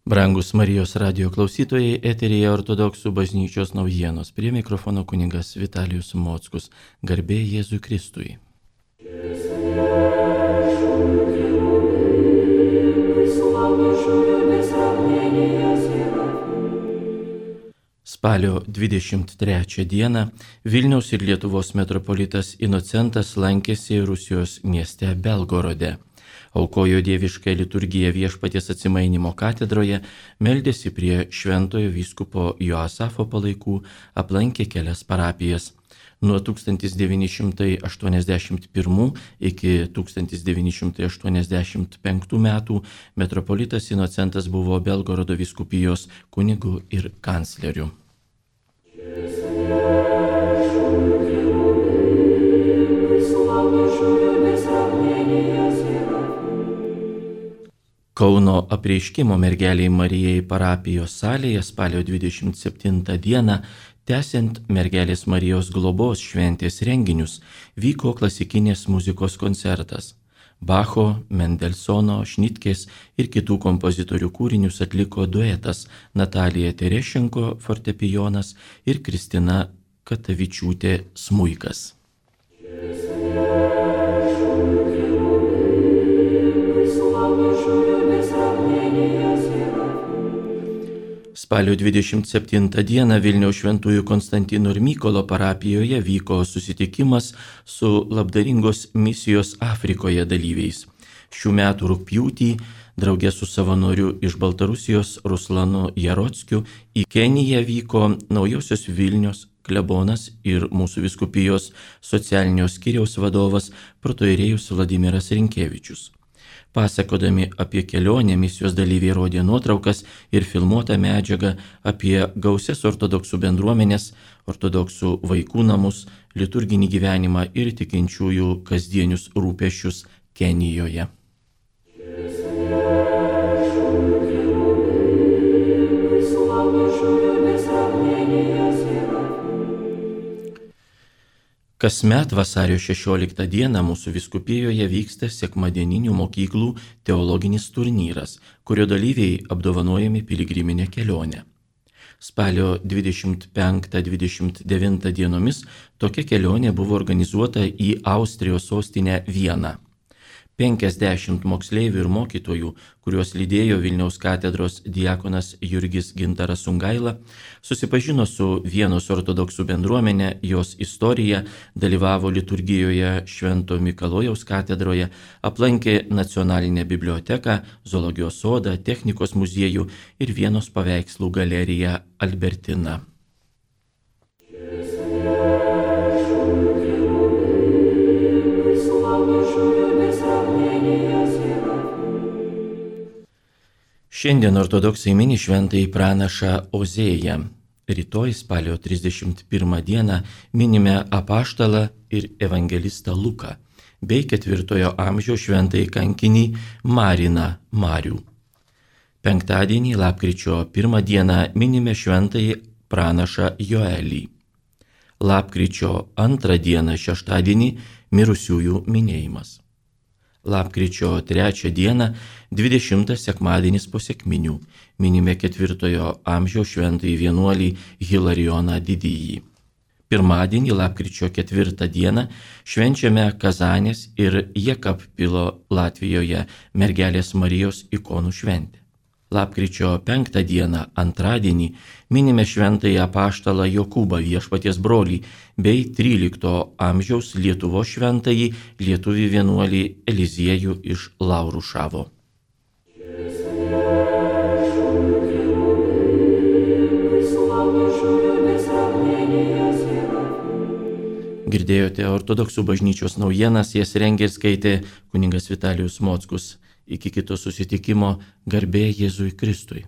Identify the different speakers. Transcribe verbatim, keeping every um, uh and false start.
Speaker 1: Brangus Marijos radijo klausytojai, eteryje Ortodoksų bažnyčios naujienos. Prie mikrofono kunigas Vitalijus Mockus. Garbė Jėzui Kristui. Spalio dvidešimt trečią dieną Vilniaus ir Lietuvos metropolitas Inocentas lankėsi Rusijos mieste Belgorode. Aukojo dievišką liturgiją Viešpaties Atsimainimo katedroje, meldėsi prie šventojo vyskupo Joasafo palaikų, aplankė kelias parapijas. Nuo tūkstantis devyni šimtai aštuoniasdešimt pirmų iki tūkstantis devyni šimtai aštuoniasdešimt penktų metų metropolitas Inocentas buvo Belgorodo vyskupijos kunigu ir kancleriu. Kauno apreiškimo mergeliai Marijai parapijos salėje spalio dvidešimt septintą dieną, tęsiant mergelės Marijos globos šventės renginius, vyko klasikinės muzikos koncertas. Bacho, Mendelsono, Šnitkės ir kitų kompozitorių kūrinius atliko duetas Natalija Terešenko fortepijonas ir Kristina Katavičiūtė smuikas. Spalio dvidešimt septintą dieną Vilniaus šventųjų Konstantino ir Mykolo parapijoje vyko susitikimas su labdaringos misijos Afrikoje dalyviais. Šių metų rugpjūtį draugė su savanoriu iš Baltarusijos Ruslanu Jarockiu į Keniją vyko Naujosios Vilnios klebonas ir mūsų vyskupijos socialinio skyriaus vadovas protoirėjus Vladimiras Rinkevičius. Pasakodami apie kelionę, misijos dalyviai rodė nuotraukas ir filmuotą medžiagą apie gausias ortodoksų bendruomenės, ortodoksų vaikų namus, liturginį gyvenimą ir tikinčiųjų kasdienius rūpesčius Kenijoje. Kasmet vasario šešioliktą dieną mūsų vyskupijoje vyksta sekmadieninių mokyklų teologinis turnyras, kurio dalyviai apdovanojami piligriminę kelionę. Spalio dvidešimt penktą dvidešimt devintą dienomis tokia kelionė buvo organizuota į Austrijos sostinę Vieną. penkiasdešimt moksleivių ir mokytojų, kuriuos lydėjo Vilniaus katedros diakonas Jurgis Gintaras Sungaila, susipažino su Vienos ortodoksų bendruomenė, jos istorija, dalyvavo liturgijoje Švento Mikalojaus katedroje, aplankė nacionalinę biblioteką, zoologijos sodą, technikos muziejų ir Vienos paveikslų galeriją Albertina. Šiandien ortodoksai mini šventąjį pranašą Ozėją. Rytoj spalio trisdešimt pirmą dieną minime apaštalą ir evangelistą Luką, bei ketvirtojo amžiaus šventąjį kankinį Mariną Marių. Penktadienį lapkričio pirmą dieną minime šventąjį pranašą Joelį. Lapkričio antrą dieną šeštadienį mirusiųjų minėjimas. Lapkričio trečią dieną, dvidešimtas sekmadienis po sekminių, minime ketvirtojo amžiaus šventąjį vienuolį Hilarijoną Didįjį. Pirmadienį, lapkričio ketvirtą dieną, švenčiame Kazanės ir Jekabpilo Latvijoje mergelės Marijos ikonų šventę. Lapkričio penktą dieną, antradienį, minime šventąjį apaštalą Jokūbą Viešpaties brolį bei trylikto amžiaus Lietuvos šventąjį lietuvį vienuolį Eliziejų iš Laurušavo. Girdėjote ortodoksų bažnyčios naujienas, jas rengė ir skaitė kunigas Vitalijus Mockus. Iki kito susitikimo, garbė Jėzui Kristui.